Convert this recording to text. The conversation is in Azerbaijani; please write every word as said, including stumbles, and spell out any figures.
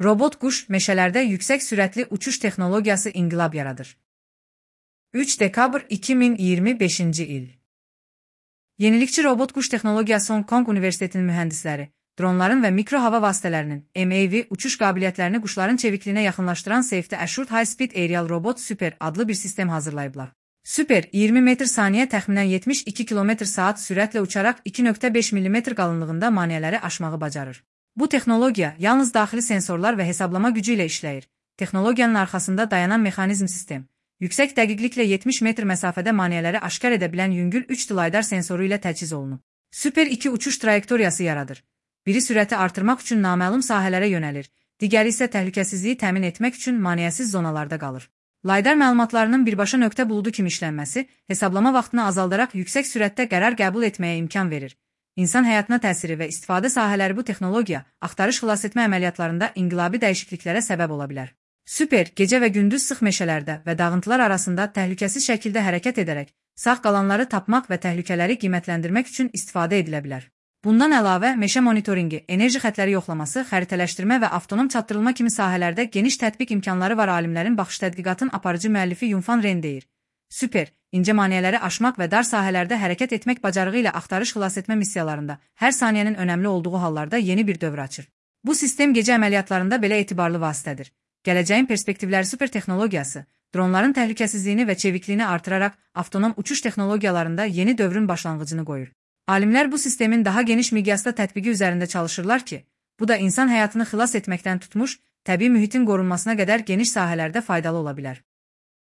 Robot quş meşələrdə yüksək sürətli uçuş texnologiyası inqilab yaradır. üç dekabr iki min iyirmi beşinci il. Yenilikçi robot quş texnologiyası Hong Kong Universitetinin mühəndisləri, dronların və mikro hava vasitələrinin M A V uçuş qabiliyyətlərini quşların çevikliyinə yaxınlaşdıran Safety Assured High Speed Aerial Robot Super adlı bir sistem hazırlayıblar. Super, iyirmi metr saniyə təxminən yetmiş iki kilometr saat sürətlə uçaraq iki nöqtə beş millimetr qalınlığında maneələri aşmağı bacarır. Bu texnologiya yalnız daxili sensorlar və hesablama gücü ilə işləyir. Texnologiyanın arxasında dayanan mexanizm sistem, yüksək dəqiqliklə yetmiş metr məsafədə maneələri aşkar edə bilən yüngül üç D LiDAR sensoru ilə təchiz olunub. Super iki uçuş trayektoriyası yaradır. Biri sürəti artırmaq üçün naməlum sahələrə yönəlir, digəri isə təhlükəsizliyi təmin etmək üçün maneəsiz zonalarda qalır. LiDAR məlumatlarının birbaşa nöqtə buludu kimi işlənməsi, hesablama vaxtını azaldaraq yüksək sürətdə qərar qəbul etməyə imkan verir. İnsan həyatına təsiri və istifadə sahələri bu texnologiya, axtarış xilasetmə əməliyyatlarında inqilabi dəyişikliklərə səbəb ola bilər. Super, gecə və gündüz sıx meşələrdə və dağıntılar arasında təhlükəsiz şəkildə hərəkət edərək, sağ qalanları tapmaq və təhlükələri qiymətləndirmək üçün istifadə edilə bilər. Bundan əlavə, meşə monitoringi, enerji xətləri yoxlaması, xəritələşdirmə və avtonom çatdırılma kimi sahələrdə geniş tətbiq imkanları var. Alimlərin baxış tədqiqatın aparıcı müəllifi Yunfan Ren deyir. Super, incə maneələri aşmaq və dar sahələrdə hərəkət etmək bacarığı ilə axtarış xilasetmə missiyalarında hər saniyənin önəmli olduğu hallarda yeni bir dövr açır. Bu sistem gecə əməliyyatlarında belə etibarlı vasitədir. Gələcəyin perspektivləri super texnologiyası, dronların təhlükəsizliyini və çevikliyini artıraraq avtonom uçuş texnologiyalarında yeni dövrün başlanğıcını qoyur. Alimlər bu sistemin daha geniş miqyasda tətbiqi üzərində çalışırlar ki, bu da insan həyatını xilas etməkdən tutmuş, təbii mühitin qorunmasına qədər geniş sahələrdə faydalı ola bilər.